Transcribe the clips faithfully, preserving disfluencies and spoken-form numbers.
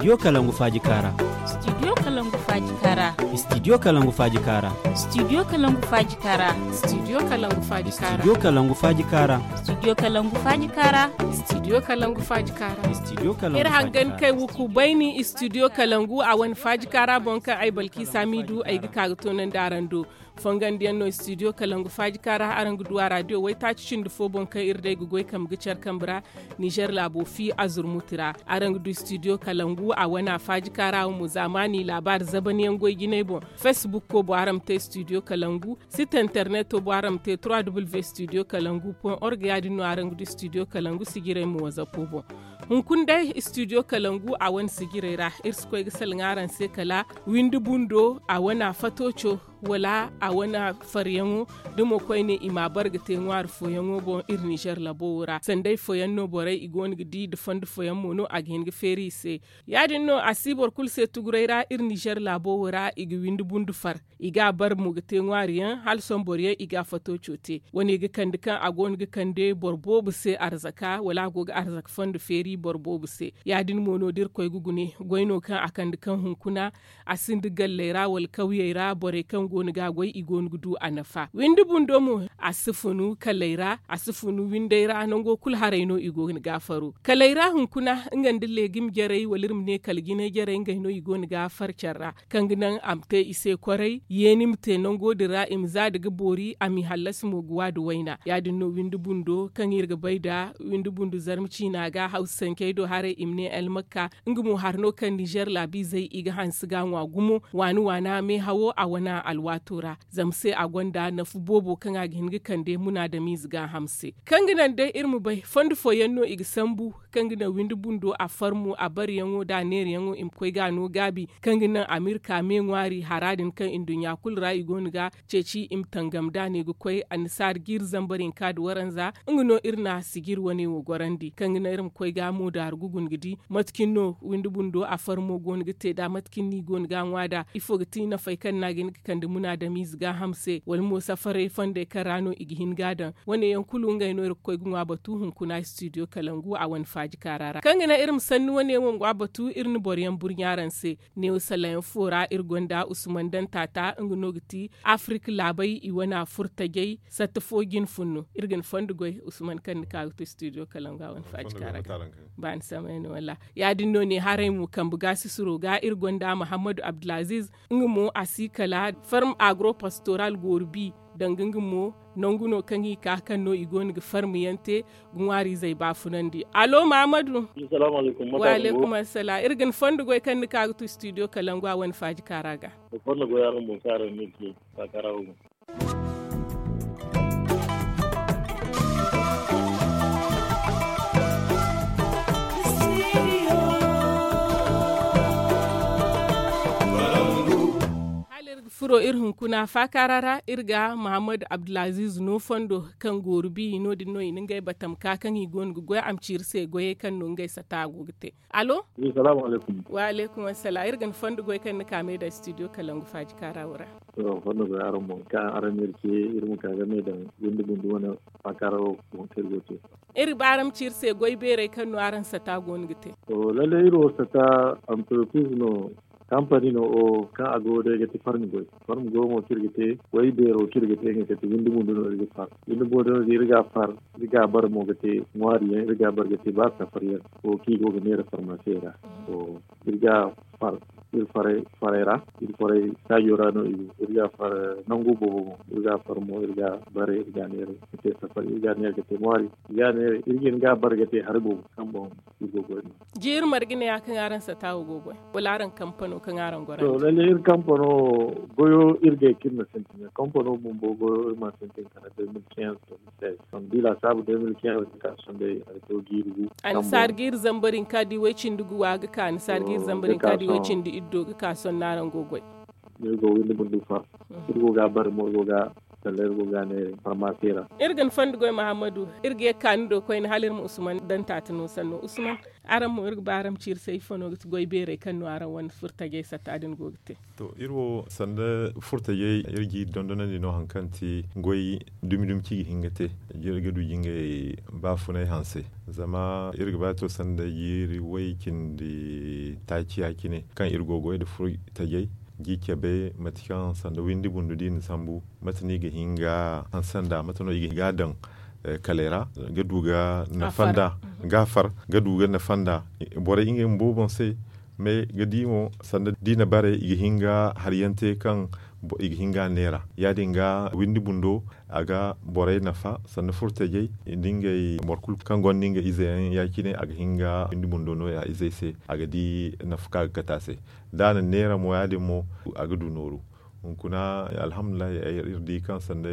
Studio kalangu faaji kaara. Studio kalangu faaji kaara. Studio kalangu faaji kaara. Studio kalangu faaji kaara. Studio kalangu faaji kaara. Studio kalangu faaji kaara. Studio kalangu faaji kaara. Studio kalangu faaji kaara. Studio kalangu faaji kaara. Iri hangan kay wuku bayni studio kalangu a wane faaji kaara boŋ kaŋ ay balki samidu ay ga ka ga toonandi araŋ do. Fongandiyaŋ no studio kalangu faaji kaara araŋ ga du a radio waytaaci cindi fo boŋ kaŋ iri day ga goy kambe ga care kambe ra. Nizer laabo fi azurmuti ra araŋ ga du studio kalangu a wane a faaji kaara wo mo zaamaani laabaari zabaniyaŋ goy jinay boŋ. Fesbukko boŋ araŋ ma te studio kalangu. Site interneto boŋ araŋ ma te trois w studio kalangu point org ya- din no araŋ ga du studio kalangu sijiray mo wazapo boŋ. Hunkuna day studio kalangu a wane sijiray ra iri si koy ga salaŋ araŋ se kala windi bundo a wane a fato co wala a wane faryaŋo. Da mo koyne i ma a bare ga te ŋwaari fooyaŋo boŋ iri nizer labo wo ra sanday fooyaŋ no borey i go no ga di nda fondo fooyaŋ mo no a ga hin ga feeri i se. Ya- din no a si boro kulu se tuguray ra iri nizer laabo wo ra i ga windi bundu far i ga a bare mo ga te ŋwaari yaŋ hala sohõ boro yaŋ i ga a fato co te wane ga kande kaŋ a go no ga kande boro boobo se arzaka wala a go ga arzaka fondo feeri boro boobo se. Ya- din mo no da iri koy ga gune goy no kaŋ a kande kaŋ hunkuna a sinda galley ra wala kawyey ra borey kaŋ go no ga a goy i go no ga du a nafa windi bundo mo. A si funu kaley ra a si funu windey ra nango kulu haray no i go no ga a faro kaley ra hunkuna nga nda leegim jarey wala iri ma ne kala jinay jarey ngey no i go no ga a far care ra kaŋ ga naŋ a ma te i se kwaray yeeni ma te nango din ra i ma za nda ga boori a m'i hallasi mo ga wa nda wayna ya- din no windi bundo kaŋ iri ga bay nda windi bundo zarma ciina ga hawsa sankey do haray i ma ne almakka. Nga mo hari no kaŋ nizer laabiizey i ga hanse ga ŋwa gumo waani waana meehawo a wane alwaato ra zama se a gonda nafa boobo kaŋ a ga hin ga kande munaadamiize gaaham se. Kaŋ ga naŋ day iri ma bay fondo fooyaŋ no i ga sambu kaŋ ga naŋ windi bundo a farmo a bareyaŋo nda a neerayaŋo i ma koy ga a no gaabi kaŋ ga naŋ amirka me ŋwaari hara din kaŋ nduɲɲa kulu ra i go no ga ceeci i ma tangam da ne ga koy annasaara jiiri zambar hinka nda waranza. Nga no iri na sijiri wane wo gorandi kaŋ ga naŋ iri ma koy ga moodaaru ga guna ga di mate cine no windi bundo a farmo go no ga te nd'a mate cine no i go no ga a ŋwa nd'a ifo ga ti nafey kaŋ no a ga hin ga kande munaadamiize gaaham se wala mo safaray fondey kaŋ ra no i ga hin ga a daŋ. Wane yaŋ kulu ngey no iri ga koy ga ŋwa batu hunkuna studio kalangu a wane faaji kaara ra kaŋ ga naŋ iri ma sanni wane wo ma ŋwa batu iri na boro yaŋ burɲa araŋ se. Neewo salayaŋ fo ra iri gonda usman daŋ taata nga no ga ti afirik laabey i wane a furo tajey satta fo jine funno iri ga ni fondo goy usman kaŋ ni ka ga to studio kalangu a wane faaji kaara ga. Ba ni samay no wala ya- din no ne haray mo kambe ga sisiro ga iri gonda mahammadu abdulaziz nga mo a si kala farm agro pastoral goori bi danga nga mo nangu no kaŋ i ka kaŋ no i go no ga farmiyaŋ te ga ŋwaariizey baafunandi. Allo mahammadu. Wa aleykum assala iri ga ni fondo goy kaŋ ni ka ga tu studio kalangu a wane faaji kaara ga. Fondo goy araŋ boŋ kaŋ araŋ ne te faakara wo boŋ. Hala iri ga furo iri hunkuna faakaara ra iri ga mahammadu abdulaziz no fondo kaŋ gooru bi no- din no i na ngey batam ka kaŋ i go no ga goy a ma ci iri se goyey kaŋ no ngey sata go ga te. Allo. Wa aleykum assala iri ga ni fondo goy kaŋ ni ka me daŋ studio kalangu faaji kaara wo ra. To fondo goy araŋ boŋ kaŋ araŋ ne iri ce iri ma ka ga me daŋ windi bundi wane faakaara wo boŋ kaŋ iri go te. Iri ba araŋ ma ci iri se goy beerey kaŋ no araŋ sata go no ga te. To lalle iri wo sata antropiz no. Kampani no o kaŋ a go day ga ti farmi goy farmi goy mo kaŋ iri ga te. Way beero kaŋ iri ga te nga kate windi bundo no iri ga far windi bundo no iri ga far. Iri ga a bare mo ga te ŋwaari yaŋ iri ga a bare ga te ba safari yaŋ. Wo kaŋ i go ga neera farmase ra. To iri ga far iri faray ra iri faray saajo ra no iri ga far nangu boobo mo iri ga far mo iri ga bare iri ga neera ga te safari iri ga neera ga te ŋwaari. Iri ga neera iri ga hin ga a bare ga te hari boobo kaŋ boŋ. Jiiri marga ne ya kaŋ araŋ sata wo go goy wala araŋ kampano kaŋ araŋ gora to lalle iri kampano goyo iri ga kirna sintin kampano bumbo goyo iri ma sintin kala deux mille quinze. Sambi lasaabu deux mille quinze ga ka sohõ day hari to jiiri gu. Annasaara jiiri zambar hinka di way cindi gu wa ga ka annasaara jiiri zambar hinka di way cindi iddo ga ka sohõ no araŋ go goy. Iri go windi bundu far iri go ga bare mo iri go ga Sanda iri go ga ne farmasi ra. Iri ga ni fondo goy mahammadu. Iri ga ye ga ka ni do koyne hala iri ma usman daŋ taati no sanno usman. Araŋ mo iri ga ba araŋ ma ci iri se ifo no ga ti goy beerey kaŋ no araŋ wane furtajey satta din go ga te? To iri wo sanda furtajey iri ga iri dondonandi no hari kaŋ ti goy dumi dumi kaŋ i ga hin ga te. Iri ga du ga ngey baafunay hanse. Zama iri ga ba to sanda jiiri way cindi taaci ya- cine kaŋ iri go ga goy nda furtajey ga i cabe mate kaŋ sanda windi bundu da i na sambu. Mate no i ga hin ga hanse nd'a mate no i ga hin ga a daŋ kaley ra ga du ga nafa nd'a ga a far ga du ga nafa nd'a. Borey ngey bumbo boŋ se. Mais ga di mo sanda da i na bare i ga hin ga hari yaŋ te kaŋ i ga hin ga a neera ya- din ga windi bundo a ga borey nafa sanda furtajey nda ngey boro kulu kaŋ gonda nga ize yaŋ ya- cine a ga hin ga windi bundo no ya izey se a ga di nafa kaŋ a ga kate a se. Da a na neera mo ya- din mo a ga du nooru. Hunkuna alhamdulillahi iri di kaŋ sanda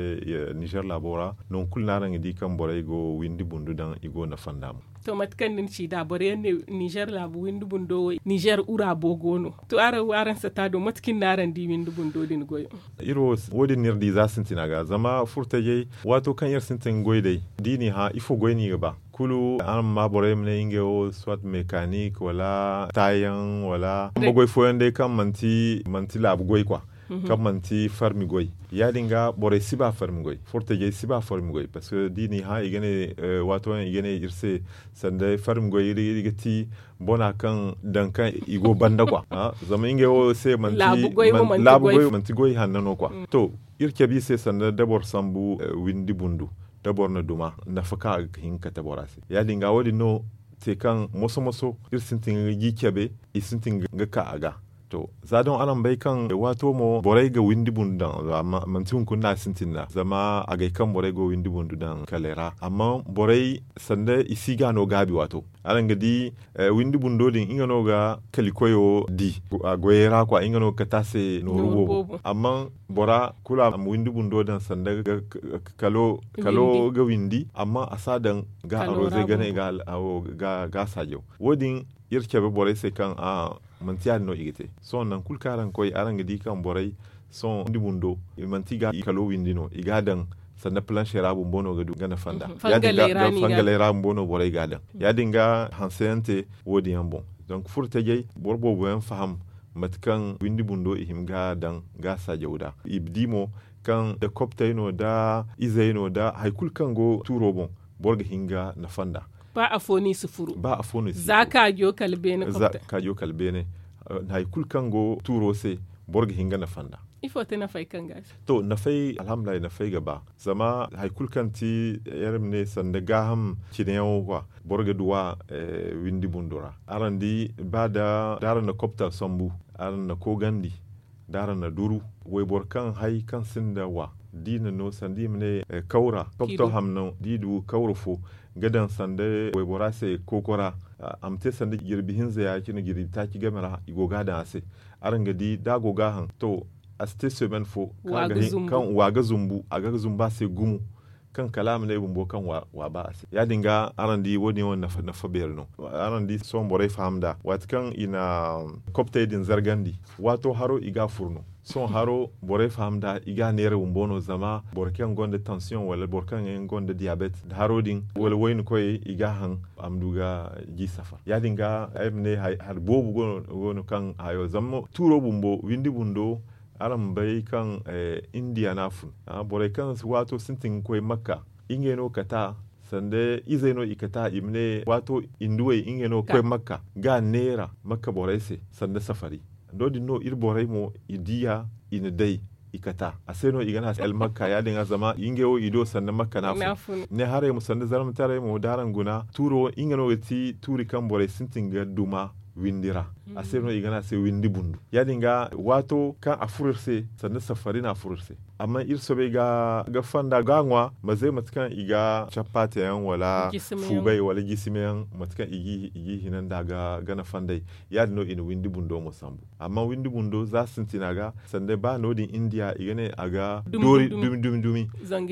nizer laabo ra nangu kulu no araŋ ga di kaŋ borey go windi bundu daŋ i go nafa nd'a mo. To mate kaŋ ni na ci nd'a boro yaŋ ne nizer laabu windi bundo wo nizer ura boogo no. To araŋ wo araŋ satta do mate kaŋ iri no araŋ di windi bundo din goyo? Iri wo wo- din no iri di za sintina ga zama furtajey waato kaŋ iri sintin ga goy day da i n'i hã ifo goy no i ga ba? Kulu araŋ ma maa borey ma ne ngey wo soit mekanik wala taayaŋ wala bambagoy fooyaŋ day kaŋ manti laabu goy kwa kaŋ manti farmi goy. Ya- din ga borey si ba farmi goy furtajey si ba farmi goy parceque da i n'i hã i ga ne waato yaŋ i ga ne iri se sanda farmi goy iri ga ti bona kaŋ daŋ kaŋ i go banda kwa. Zama ngey wo se manti goy manti goy hanno no kwa. To iri cabe i se sanda da boro sambu windi bundu da boro na duma nafa kaŋ a ga hin ga kate bora se ya- din ga wo- din no te kaŋ moso moso iri sintin ga ga i cabe i sintin ga ka a ga. To za doŋ araŋ bay kaŋ waato mo borey ga windi bundu daŋ manti hunkuna no a sintin nd'a zama agay kaŋ borey go windi bundu daŋ kaley ra amma borey sanda i si ga no gaabi waato. Araŋ ga di windi bundo din nga no ga kali koyo di a goyey ra kwa nga no ga kate a se nooru boobo amma bora kulu a ma windi bundo daŋ sanda kalo ga windi amma a si a daŋ ga aroze gane ga a saajaw. Wo- din iri cabe borey se kaŋ a manti ya- din no i ga te. Sohõ nangu kulu kaŋ araŋ ga koy araŋ ga di kaŋ borey sohõ windi bundo i manti ga i kalo windi no i ga a daŋ sanda planche ra bumbo no ga du ga nafa nd'a. Ya- din ga fangaley ra bumbo no borey ga a daŋ ya- din ga hanse yaŋ te. Wo- din yaŋ boŋ donc furo tajey boro boobo yaŋ faham mate kaŋ windi bundo i hima ga a daŋ ga a saajaw nd'a i di mo kaŋ da koptey no da izey no da hari kulu kaŋ go tuuro boŋ boro ga hin ga nafa nd'a. Ba afo no i si furu ba afo no i si furu za kaajo kala beene koptey za kaajo kala beene hari kulu kaŋ go tuuro se boro ga hin ga nafa nd'a. Ifo te nafey kaŋ ga a se? To nafey alhamdulillahi nafey ga ba zama hari kulu kaŋ ti iri ma ne sanda gaaham cine yaŋo ga boro ga duw'a windi bundo ra. Araŋ di ba da araŋ na kopta sambu araŋ na koogandi da araŋ na duru wayboro kaŋ hay kaŋ sinda wa da i na no sanda i ma ne kawra kopto hamno da i du kawra fo ga daŋ sanda waybora se kookora a ma te sanda jirbi hinza ya- cine jirbi taaci game ra i go ga a daŋ a se. Araŋ ga di da a go ga a haŋ to a si te semaine fo kaŋ a ga zumbu a ga zumbu a se gumo kaŋ kala a ma ne bumbo kaŋ wa ba a se ya- din ga araŋ di wo- din wane nafa beeri no. Araŋ di sohõ borey faham nd'a waati kaŋ i na koptey din zargandi waato haro i ga a furu no. Sohõ haro borey faham nd'a i ga a neera bumbo no zama boro kaŋ gonda tansiyoŋ wala boro kaŋ yaŋ gonda diyabet nda haro din wala wayna koyey i ga a haŋ a ma du ga ji safar ya- din ga ay ma ne hari boobo go no kaŋ hayo zama tuuro bumbo windi bundo araŋ ma bay kaŋ indiya no a fun. Borey kaŋ waato sintin ga koy makka ngey no kata sanda izey no i kata i ma ne waato induwey ngey no ga koy makka ga a neera makka borey se sanda safari. No- din no iri borey mo i diya i na day i kata a se no i ga ne a se almakka ya- din ga zama ngey wo i do sanda makka no a fun. Ne haray mo sanda zarmataray mo da araŋ guna tuuro nga no ga ti tuuri kaŋ borey sintin ga duma windi ra. A se no i ga ne a se windi bundu ya- din ga waato kaŋ a furo iri se sanda safari no a furo iri se. Amma iri soobay ga fonda ga a ŋwa ma ze mate kaŋ i ga cappaate yaŋ wala fuubay wala jisime yaŋ mate kaŋ i g'i hina nd'a ga nafa nd'ey. Ya- din no i na windi bundo mo sambu amma windi bundo za sintina ga sanda ba no- din indiya i ga ne a ga doori dumi dumi dumi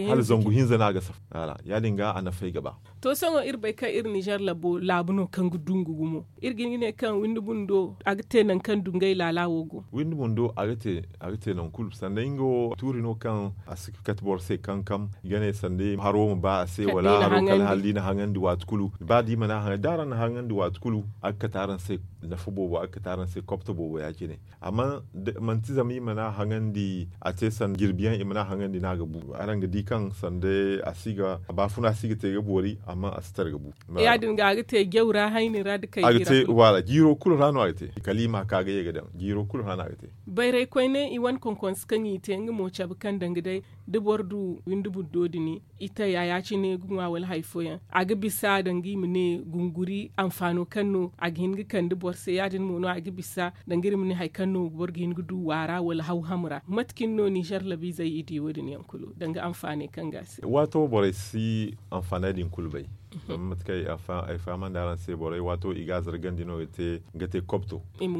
hala zangu hinza no a ga safa. Ya- din ga a nafay ga ba. To sohõ iri bay kaŋ iri nizer laabu no kaŋ ga dungu gumo iri ga hin ga ne kaŋ windi bundo A ga te nangu kaŋ dungay laala wo go. Windi bundo a ga te nangu kulu sanda nga wo tuuri no kaŋ a si kate boro se kankam i ga ne sanda haro ma ba a se wala haro kala hala da i na haŋandi waati kulu. Ba da i mana haŋandi waati kulu a ga kate araŋ se nafa boobo a ga kate araŋ se kopta boobo ya- cine. Amma manti zama i mana haŋandi a te sanda jirbi yaŋ i mana haŋandi no a ga bu araŋ ga di kaŋ sanda a si ga baafuna si ga te ga boori amma a si tara ga bu. Ya- din ga a ga te jaw ra hayni ra da kay ga te waala jiiro kulu ra no a ga te kala i ma ka ga ye ga daŋ jiiro kulu ra no a ga te. Bayray koyne i wane konkonse kaŋ i te nga mo cabe kaŋ danga day da boro du windi buddo din i taya ya- cine ga ŋwa wala hari fooyaŋ a ga bisa danga i ma ne gunguri anfaano kaŋ no a ga hin ga kande boro se ya- din mo no a ga bisa danga iri ma ne hari kaŋ no boro ga hin ga du waara wala hawham ra mate cine no ninzeer labiizey i di wo- din yaŋ kulu danga anfaaney kaŋ ga a se. Waato borey si anfaaney din kulu bay. Zama mate kaŋ ay fahamandi araŋ se borey waato i ga a zargandi no ga te kopto i ma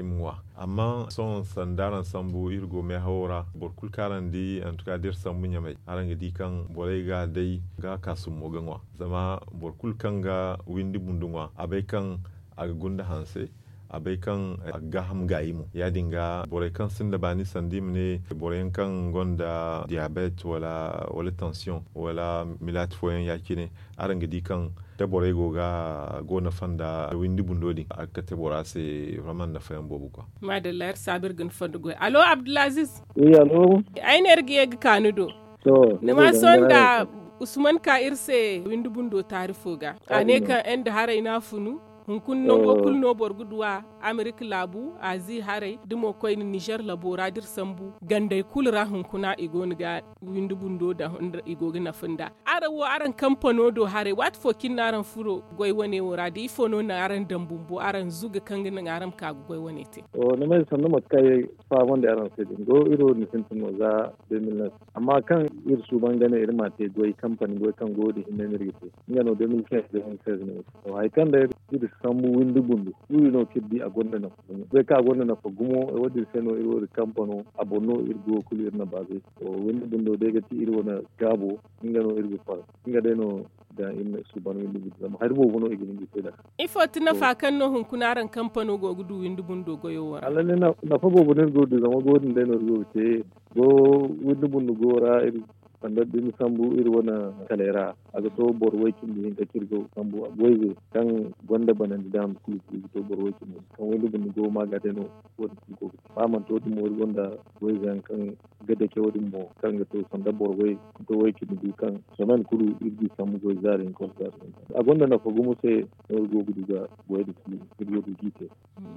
ŋwa. Amma sohõ sanda araŋ sambu iri go meehawo ra boro kulu kaŋ araŋ di antuka da iri sambu ɲamay araŋ ga di kaŋ borey ga a day ga a ka summo ga ŋwa. Zama boro kulu kaŋ ga windi bundu ŋwa a bay kaŋ a ga gunda hanse a bay kaŋ a ga gaaham gaayi mo ya- din ga borey kaŋ sinda baani sanda i ma ne boroyaŋ kaŋ gonda diyabet wala tansiyoŋ wala milaati fooyaŋ ya- cine araŋ ga di kaŋ da borey go ga go nafa nda windi bundo din a ga kate bora se. Vraiment nafayaŋ boobo kwa. Maadalla iri saabu iri ga ni fondo goy allo abdulaziz. Ay ne iri ga ye ga ka ni do. Ni ma sohõ nda usman ka iri se windi bundo taari fo ga a ne kaŋ ende haray no a funu. Hunkuna nango kulu no boro ga du a amerika laabu azi haray da mo koyne nizer labo ra da iri sambu gandey kulu ra hunkuna i go no ga windi bundo daŋ i go ga nafa nda. Araŋ wo araŋ kampano do haray waati fo cine no araŋ furo goy wane wo ra da ifo no naŋ araŋ daŋ bumbo araŋ zuga kaŋ ga naŋ araŋ ma ka ga goy wane te. Ni ma ay sannu mate kaŋ ay fahamandi araŋ se din do iri wo din sintin no za de mille neuf. Amma kaŋ iri suuban ga ne iri ma te goy kampani goy kaŋ go wo din hinne no iri ga te. Nga no de mille quinze de mille seize no. Hari kaŋ day iri sambu windi bundu iri no kaŋ iri di a gonda nafa gumo goy kaŋ a gonda nafa gumo wo- din se no iri wo iri kampano a boŋ no iri go kulu iri na baaze. Windi bundo day ga ti iri wane gaabo nga no iri ga far nga day no. Ga iri na suuban windi bundu zama hari boobo no i ga hin ga te nd'a. Ifo ti nafa kaŋ no hunkuna araŋ kampano go ga du windi bundo goyo wo ra? Nafa boobo no iri go ga du zama go din day no iri go ga te. Go windi bundu go ra iri sanda da ni sambu iri wane kalay ra a ga to boro way cindi hinka kaŋ iri go ga sambu wayze kaŋ gonda banandi daama kulu kulu ga to boro way cindi hinka kaŋ windi bundu go ma ga day no. Wo- din kulu go ga te ba manti wo- din mo iri gonda wayze yaŋ kaŋ ga dake wo- din mo kaŋ ga to sanda boro way ga to way cindi du kaŋ semaine kulu iri ga i sambu goy zaari hinka wala zaari hinka a gonda nafa gumo se no iri go ga du ga goy din kulu iri go ga du ga i te.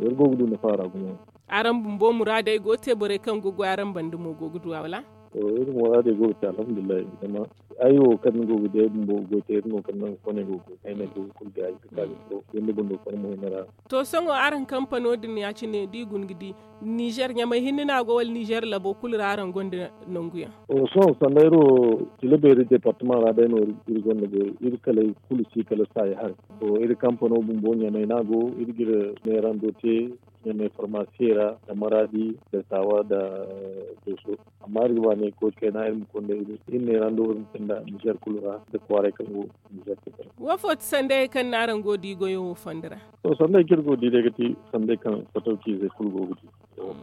Iri go ga du nafa ra gumo. Araŋ bumbo muraadey go ga te borey kaŋ ga goy araŋ banda mo go ga du a wala? Iri muraadey go ga te alhamdulillahi. Zama ay wo kaŋ ni go ga di ay bumbo ga goy te iri no kaŋ nangu fo no ay go ga goy ay no ay go ga kulu gaayi ga ka ga furo windi bundo fo ay mo hina ra. To sohõ araŋ kampano din ya- cine da i guna ga di nizer ɲamay hinne no a go wala nizer labo kulu ra araŋ gonda nangu yaŋ? Sohõ sanda iri wo tila beeri departama ra day no iri gonda goy iri kalay kulu si kala saayi haray. Iri kampano bumbo ɲamay no a go iri ga iri neerando te ɲamay farmasiye ra nda maraadi nda saawa nda dooso. Amma iri ga ba ne koy kayna iri ma konda iri iri neerando iri ma sinda nizer kulu ra nda kwaaray kaŋ go nizer kulu ra. Wo fo ti sandayey kaŋ no araŋ go ga di goyo wo fondo ra? To sandayey kaŋ iri go ga di day ga ti sandayey kaŋ fatawciizey kulu go ga di.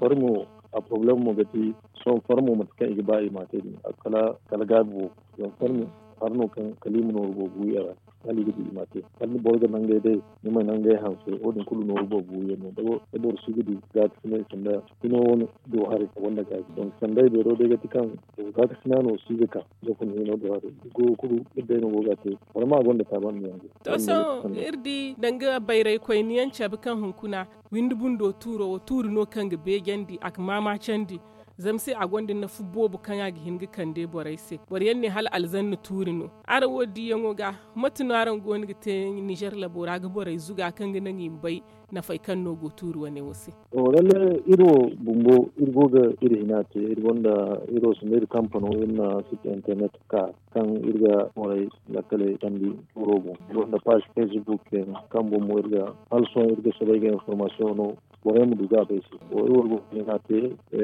Farmo a porobalem mo ga ti sohõ farmo mate kaŋ i ga ba i ma a te din kala gaabi boobo. Zama farmo hari no kaŋ kala i ma nooru boobo wi a ra. Hala i ga di i ma a te kala boro ga nangey day ni ma nangey hanse wo- din kulu nooru boobo wi yaŋ no. Da boro si ga du gaakasinay sanda hino wane do haray a gonda gaabi donk sandey beero day ga ti kaŋ gaakasina no si ga ka. Zafin hino do haray go kulu iri day no go ga a te. Wala ma a gonda taaban no yaŋ go. To sohõ iri di danga bayray koyne yaŋ cabe kaŋ hunkuna windi bundo tuuro wo tuuri no kaŋ ga beejandi a ga maamaacandi. Zama se a gonda nafa boobo kaŋ a ga hin ga kande borey se boro yaŋ ne hala alzanna tuuri no. Araŋ wo diyaŋo ga mate no araŋ go no ga te nizer labo ra ga borey zuga kaŋ ga naŋ i ma bay nafey kaŋ no go tuuri wane wo se? Iri wo bumbo iri go ga iri hina te iri gonda iri wo sanda iri kampano iri na site internet ka kaŋ iri ga borey lakkaley candi tuuro boŋ iri gonda paazi facebook yaŋ kaŋ boŋ mo iri ga hala sohõ iri ga soobay ga informasiyoŋ no. Borey ma du ga a bay se. Wo iri wo go ga hina te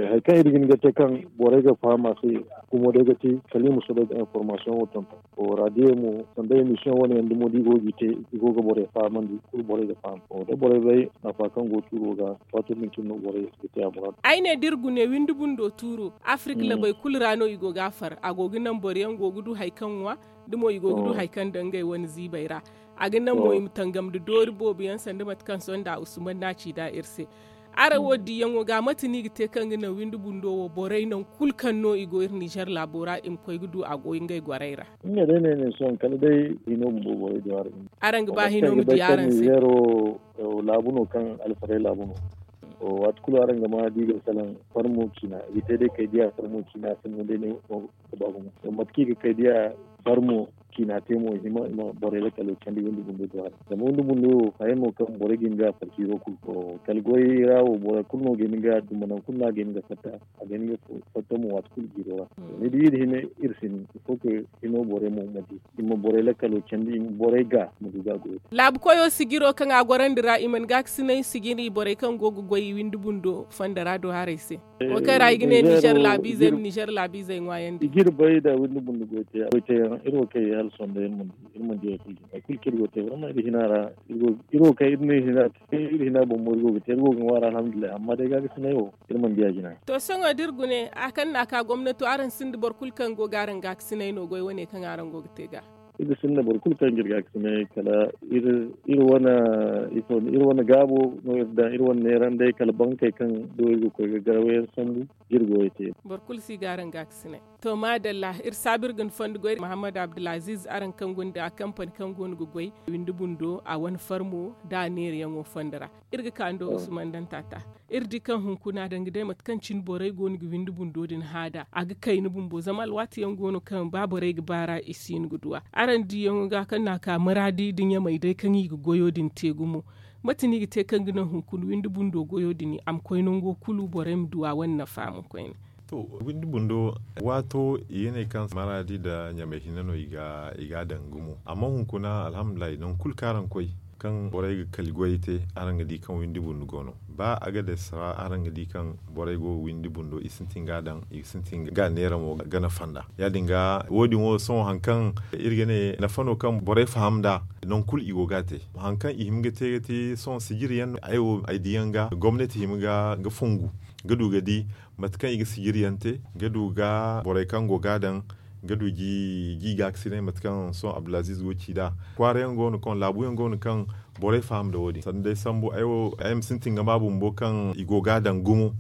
hari kaŋ iri ga hin ga te kaŋ borey ga faham a se. Gumo day ga te kala i ma soobay ga informasiyoŋ wo tonton. Wo raadiyo mo sanda emisiyoŋ wane yaŋ dumo da i go ga i te, i go ga borey fahamandi kulu borey ga faham. Wo da borey bay nafa kaŋ go tuuro ga, waato din cine no borey ga te a muraadu. Ay ne da iri gune windi bundo tuuro, afirka labey kulu ra no i go ga a far. A go ga naŋ boro yaŋ go ga du hari kaŋ ŋwa, da mo i go ga du hari kaŋ daŋ ngey wane ziibey ra. A ga naŋ mo i ma tangam nda doori boobo yaŋ sanda mate kaŋ sohõ nda usman no a ci nd'a iri se. Araŋ wo diyaŋo ga mate no i ga te kaŋ ga naŋ windi bundo wo borey nangu kulu kaŋ no i go iri nizer laabo ra i ma koy ga du a go ngey gorey ra? Nga day no ay ne sohõ kala day hino bumbo borey do araŋ. Araŋ ga ba hino ma di araŋ se. Laabu no kaŋ alfarey laabu no. Waati kulu araŋ ga ma di ga salaŋ farmo ciina i ga te day kay diya farmo ciina a sinda day ne. Ga ba gumo mate kaŋ i ga kay diya farmo ciina te mo i ma borey lakkalo candi windi bundo do araŋ zama windi bundo wo haya no kaŋ borey ga hin ga farciiro kulu. Kala goy ra wo borey kulu no ga hin ga duma nangu kulu no a ga hin ga fatta. A ga hin ga fatta mo waati kulu jiiro ra. Ni di iri hima iri si hin ifo ka hino borey mo ma di i ma borey lakkalo candi i ma borey ga ma du ga goyo. Laabu koyo sijiro kaŋ a gorandi ra i mana gaakasinay sijiri borey kaŋ go ga goy windi bundo fondo ra do haray se. Wo kaŋ ra i ga ne nizer laabiizey ma nizer laabiizey ŋwaayandi. Iri bay da windi bundo goy te yaŋ iri wo kaŋ i hala sondo iri mana di hari kulu kaŋ iri go te barma iri hina ra. Iri wo kaŋ iri ne hina te iri hina boŋ mo iri go ga te iri go ga ŋwaari alhamdulillahi amma day gaakasinay wo iri mana di a jina. To sohõ da iri gune a kaŋ no a ka gomnato araŋ sinda boro kulu kaŋ go ga araŋ gaakasinay no goy wane kaŋ araŋ go ga te ga. Iri sinda boro kulu kaŋ ga iri gaakasinay kala iri wane gaabo no iri daŋ iri wane neeranday kala bankey kaŋ do iri ga koy ga garawo yaŋ sambu. Ga iri goyo te. Boro kulu si ga araŋ gaakasinay. To maadalla iri saabu iri ga ni fondo goy muhammad abdulaziiz araŋ kaŋ gonda kampani kaŋ go no ga goy windi bundo a wane farmo da a neerayaŋo fondo ra. Iri ga ka ni do usman daŋ taata. Iri di kaŋ hunkuna danga day mate kaŋ cine borey go no ga windi bundo din haada a ga kayna bumbo zama alwaati yaŋ go no kaŋ ba borey ga baara i si hin ga du a. Araŋ diyaŋo ga kaŋ no a ka maraadi nda ɲamey day kaŋ i ga goyo din te gumo. Mate no i ga te kaŋ ga naŋ hunkuna windi bundo goyo din a ma koy nango kulu borey ma du a wane nafa mo koyne. To, windi bundo waato i ga ne kaŋ maraadi nda ɲamey hinne no i ga a daŋ gumo amma hunkuna alhamdulillahi nangu kulu kaŋ araŋ koy kaŋ borey ga kali goyey te araŋ ga di kaŋ windi bundo go no. Ba a ga day sara araŋ ga di kaŋ borey go ga windi bundo i sintin ga a daŋ i ga sintin ga a neera mo ga nafa nd'a. Ya- din ga wo- din wo sohõ hari kaŋ iri ga ne nafa no kaŋ borey faham nd'a. Nangu kulu i go ga a te hari kaŋ i hima ga te ga te sohõ sijiri yaŋ no ay wo ay di yaŋ ga gomnati hima ga fongu ga du ga di mate kaŋ i ga sijiri yaŋ te ga du ga borey kaŋ go ga a daŋ ga du ga i gaakasinay mate kaŋ sohõ abdulaziiz go ga ci nd'a. Kwaara yaŋ go no kaŋ laabu yaŋ go no kaŋ borey faham nda wo- din sanda day sambu ay wo ay ma sintin ga ma bumbo kaŋ i go ga a daŋ gumo.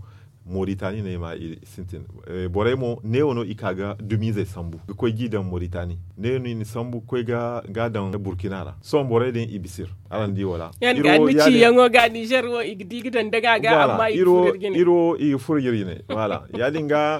Moritani no ay ma i sintin borey mo neewo no i ka ga dumiizey sambu ga koy ga i daŋ moritani. Neewo no i na sambu ga koy ga a daŋ burkina ra sohõ borey din i bisa iri. Araŋ di wala? Yaŋ ga ni ciyaŋo ga nizer wo i ga di ga daŋ daga ga amma i ga furo iri jine. Wala ya- din ga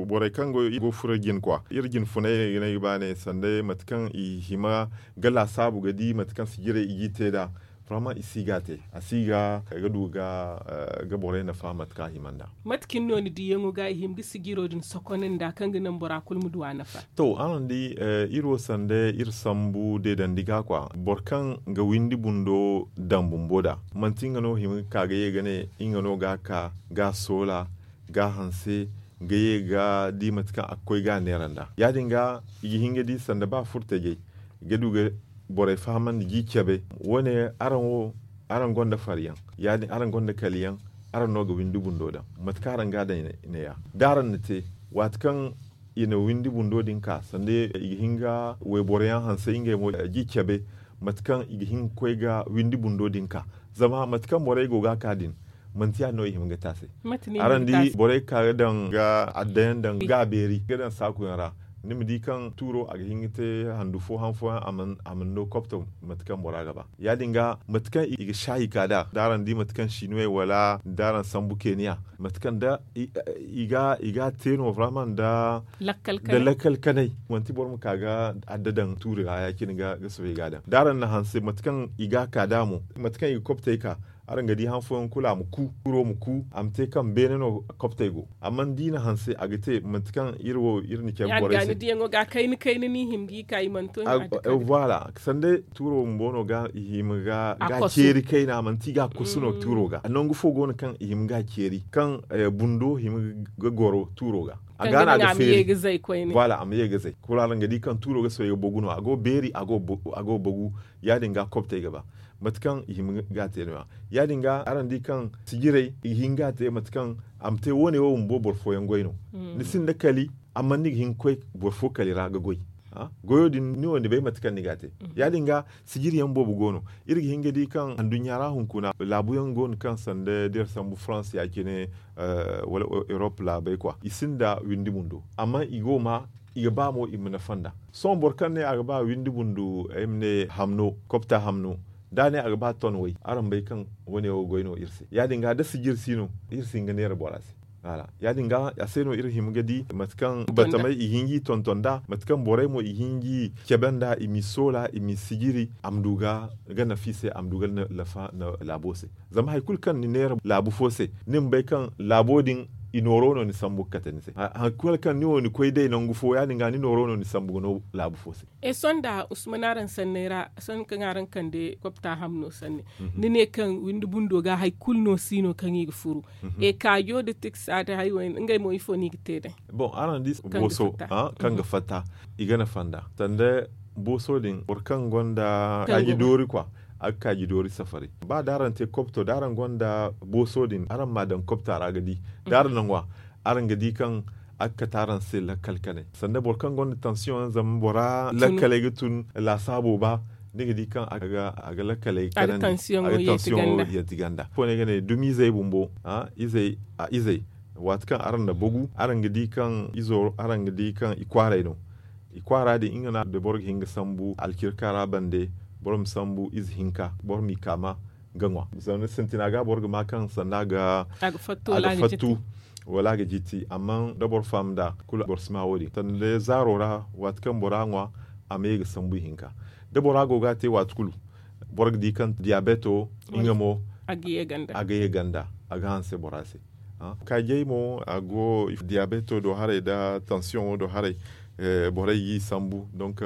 borey kaŋ go ga furo iri jine kwa iri jine funay no ay ga ba ne sanda mate kaŋ i hima ga laasaabu ga di mate kaŋ sijirey i g'i te nd'a. Farma i si ga a te a si ga du ga borey nafa mate kaŋ a hima nd'a. Mate cine no ni diyaŋo ga i hima ga sijiro din sokonandi nd'a kaŋ ga naŋ bora kulu ma du a nafa? To araŋ di iri wo sanda iri sambu deedandi ga kwa boro kaŋ ga windi bundo daŋ bumbo nd'a manti nga no hima ga ka ga ye ga ne nga no ga a ka ga a soola ga a hanse ga ye ga di mate kaŋ a ga koy ga a neera nd'a ya- din ga i ga hin ga di sanda ba furtajey ga du ga borey fahamandi ga i cabe. Wo- ne araŋ wo araŋ gonda faryaŋ ya- din araŋ gonda kaliyaŋ. Araŋ no ga windi bundo daŋ mate kaŋ araŋ ga a daŋ neeya da araŋ na te waati kaŋ i na windi bundo din ka sanda i ga hin ga wayboro yaŋ hanse ngey mo ga i cabe mate kaŋ i ga hin ga koy ga windi bundo din ka. Zama mate kaŋ borey go ga a ka din manti ya- din no i hima ga te a se. Araŋ di borey ga ka ga daŋ ga adda yaŋ daŋ ga a beeri ga daŋ saaku yaŋ ra ni ma di kaŋ tuuro a ga hin ga te handu fo han fooyaŋ a mana no kopto mate kaŋ bora ga ba ya- din ga mate kaŋ i ga saayi ka nd'a da araŋ di mate kaŋ sinuwey wala da araŋ sambu keniya mate kaŋ da i ga a te no barama nda lakkal kanay manti boro ma ka ga adda daŋ tuuri ra ya- cine ga soobay ga a daŋ da araŋ na hanse mate kaŋ i ga a ka nd'a mo mate kaŋ i ga koptey ka Araŋ ga di han fooyaŋ kulu a ma ku, tuuro ma ku, a ma te kaŋ beene no koptey go. Amma da i na hanse a ga te manti kaŋ iri wo iri na care borey se. Ni diyaŋo ga kayna kayna ni hima ga i ka i mana to i ma a ga kayna. Voilà, sanda tuuro bumbo no ga i hima ga ceeri kayna manti i ga a kosu no tuuro ga nangu fo go no kaŋ i hima ga a ceeri kaŋ bundo hima ga goro tuuro ga. A ga no a ga feeri. Voilà, a ma ye ga zay kulu araŋ ga di kaŋ tuuro ga sohõ ga bogu no a go beeri a go bogu. Ya- din ga koptey ga ba mate kaŋ i hima ga a te no- ya ya- din ga araŋ di kaŋ sijirey i ga hin ga a te mate kaŋ a ma te wo- ne wo bumbo boro fooyaŋ goy no. Ni sinda kali amma ni ga hin ga koy boro fo kali ra ga goy. Goyo din ni wo ni bay mate kaŋ ni ga a te. Ya- din ga sijiri yaŋ boobo go no. Iri ga hin ga di kaŋ anduɲɲa ra hunkuna laabu yaŋ go no kaŋ sanda da iri sambu farans ya- cine wala erop laabey kwa i sinda windi bundo amma i go ma i ga ba mo i ma nafa nd'a. Sohõ boro kaŋ ne a ga ba windi bundu ay ma ne hamno kopta hamno da a ne a ga ba ton way araŋ bay kaŋ wane wo goy no iri se ya- din ga da sijiri si no iri si hin ga neera bora se. Ya- din ga a se no iri hima ga di mate kaŋ batamey i hin ga i tonton nd'a mate kaŋ borey mo i hin ga i cabe nd'a i m'i soola i m'i sijiri a ma du ga nafa i se a ma du ga nafa laabo se. Zama hari kulu kaŋ ni neera laabu fo se ni ma bay kaŋ laabo din i nooro no ni sambu ga kate ni se hari kulu kaŋ ni wo ni koy day nangu fo ya- din ga ni nooro no ni sambu ga no laabu fo se. Sohõ nda usman araŋ sanney ra sohõ kaŋ araŋ kande kopta hamno sanne ni ne kaŋ windi bundo ga hari kulu no si no kaŋ i ga furu. Kaajo da tiksa da hari wo ngey mo ifo no i ga te day? Bon araŋ di booso kaŋ ga fatta i ga nafa nd'a sanda booso din boro kaŋ gonda kaaji doori kwa a ga kaaji doori safari. Ba da araŋ te kopto da araŋ gonda booso din araŋ m'a daŋ kopta ra ga di da araŋ na ŋwa araŋ ga di kaŋ a ga kate araŋ se lakkal kanay sanda boro kaŋ gonda tansiyoŋ zama bora lakkaley ga tun laasaabo ba ni ga di kaŋ a ga lakkaley kanandi a ga tansiyoŋo yeeti ganda. Ifo no ay ga ne dumizey bumbo izey waati kaŋ araŋ na bagu araŋ ga di kaŋ izo araŋ ga di kaŋ i kwaaray no. I kwaara din nga no da boro ga hin ga sambu alkirka ra bande boro ma sambu ize hinka boro m'i kaama ga ŋwa. Zama sintina ga boro ga ma kaŋ sanda a ga fattu wala a ga jiti amma da boro faham nd'a kulu boro si ma wo- din sanda day zaaro ra waati kaŋ bora ŋwa a ma ye ga sambu ihinka. Da bora go ga a te waati kulu boro ga di kaŋ diyabeto nga mo a ga ye ganda a ga hanse bora se. Kaajey mo a go diyabeto do haray nda tansiyoŋo do haray. Borey g'i sambu donk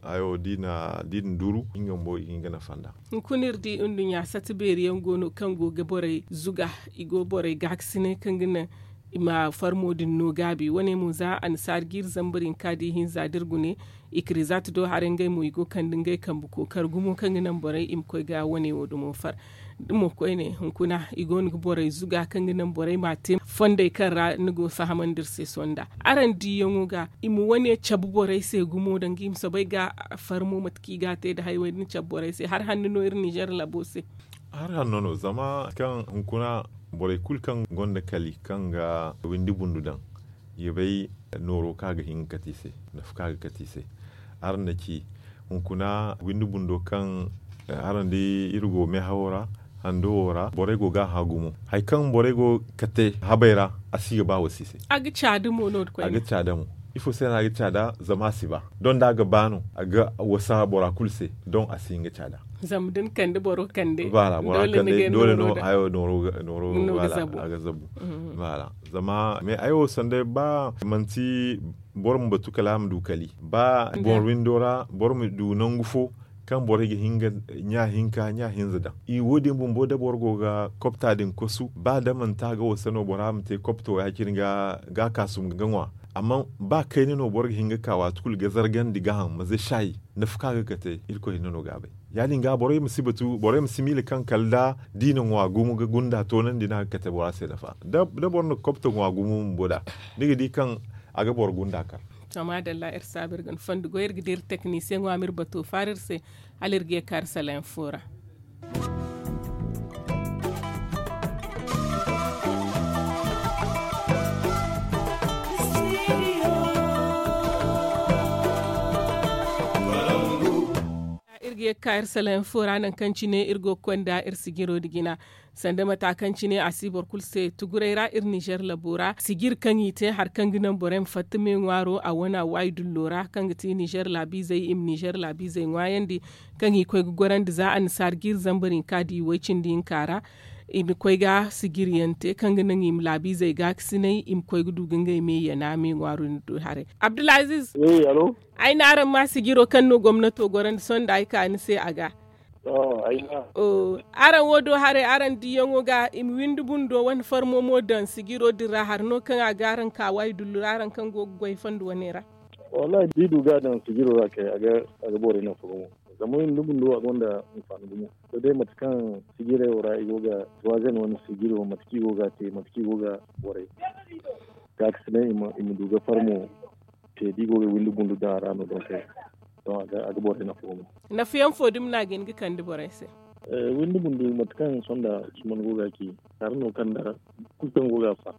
hayo da i na duru nga mo i ga hin ga nafa nd'a. Hunkuna iri di nduɲɲa sata beeri yaŋ go no kaŋ go ga borey zuga i go borey gaakasinay kaŋ ga naŋ i ma farmo din no gaabi wane mo za annasaari ga iri zambar hinka da ihinza da iri gune. Ikirizaati do haray ngey mo i go ga kande ngey kambe kookari gumo kaŋ ga naŋ borey i ma koy ga wane wo dumo far. Da mo koyne hunkuna i go no ga borey zuga kaŋ ga naŋ borey m'a te fondey kaŋ ra ni go ga fahamandi iri se sohõ nda araŋ diyaŋo ga i ma wane cabe borey se gumo danga i ma soobay ga farmo mate kaŋ i ga a te nda hari way da ni cabe borey se hari hanno no iri ninzeer labo se. Hari hanno no zama kaŋ hunkuna borey kulu kaŋ gonda kali kaŋ ga windi bundu daŋ i ga bay nooro kaŋ a ga hin ga kate i se nafa kaŋ a ga kate i se. Araŋ na ci hunkuna windi bundo kaŋ araŋ di iri go meehawo ra hando wo ra borey go ga a hã gumo hari kaŋ borey go ga kate habey ra a si ga ba wasa i se. A ga caada mo no da koyne a ga caada mo. Ifo se no a ga caada zama a si ba don da a ga ba no a ga wasa bora kulu se don a si hin ga caada. Zama da ni kande boro kande bora kande doole no hayo nooro ga zabu. Zama me ay wo sanday ba manti boro ma batu kala a ma du kali ba boro windo ra boro ma du nangu fo kaŋ borey ga hin ga ɲa hinka ɲa hinza daŋ. I wo- din bumbo da boro go ga kopta din kosu ba da manti a ga wasa no bora ma te kopto ya- cine ga kaasum ga ŋwa. Amma ba kayna no boro ga hin ga ka waati kulu ga zargandi gaaham ma ze shayi nafa kaŋ a ga kate irkoy hinne no ga a bay. Ya- din ga borey ma si batu borey ma si miila kaŋ kala da i na ŋwa gumo ga gunda toonandi no a ga kate bora se nafa da boro na kopto ŋwa gumo bumbo nd'a ni ga di kaŋ a ga boro gunda kar. To maadalla iri saabu iri ga ni fondo goy iri ga di iri teknisiyeŋo a ma iri bato faara iri se hala iri ga ye ga ka iri sala yaŋ fo ra. Ye ga ka iri salayaŋ fo ra nangu kaŋ cine iri go ga konda iri sijiro nda jina. Sanda mata kaŋ cine a si boro kulu se tuguray ra iri nizer labo ra sijir kaŋ i te hari kaŋ ga naŋ borey ma fatta me ŋwaaro a wane a waayi dullo ra kaŋ ga ti nizer laabiizey i ma nizer laabiizey ŋwaayandi, kaŋ i koy ga gorandi za annasaara jiiri zambar hinka nda i way cindi hinka ra. I na koy ga sijir yaŋ te kaŋ ga naŋ i ma laabiizey gaakasinay i ma koy ga du ga ngey me yana me ŋwaaro din do haray. Abdulaziiz, ay ne araŋ ma sijiro kaŋ no gomnato gorandi sohõ nda ay ka ni se a ga. Araŋ wo do haray araŋ diyaŋo ga i ma windi bundo wane farmo mo daŋ sijiro din ra hari no kaŋ a ga araŋ ka waayi dullu ra araŋ kaŋ go ga goy fondo wane ra. Wallaahi da i du ga a daŋ sijiro ra kay a ga borey nafa gumo. Zama windi bundo a gonda hinfaani gumo. Sohõ day mate kaŋ sijirey wo ra i go ga tuwaazen wane sijiro mate kaŋ i go ga a te mate kaŋ i go ga borey gaakasinay i ma du ga farmo te da i go ga windi bundu daŋ a ra no donk a ga borey nafa gumo. Nafa yaŋ fo dumi no a ga hin ga kande borey se? Windi bundu mate kaŋ sohõ nda usman go ga a ci, hari no kaŋ nda kulu kaŋ go ga a fa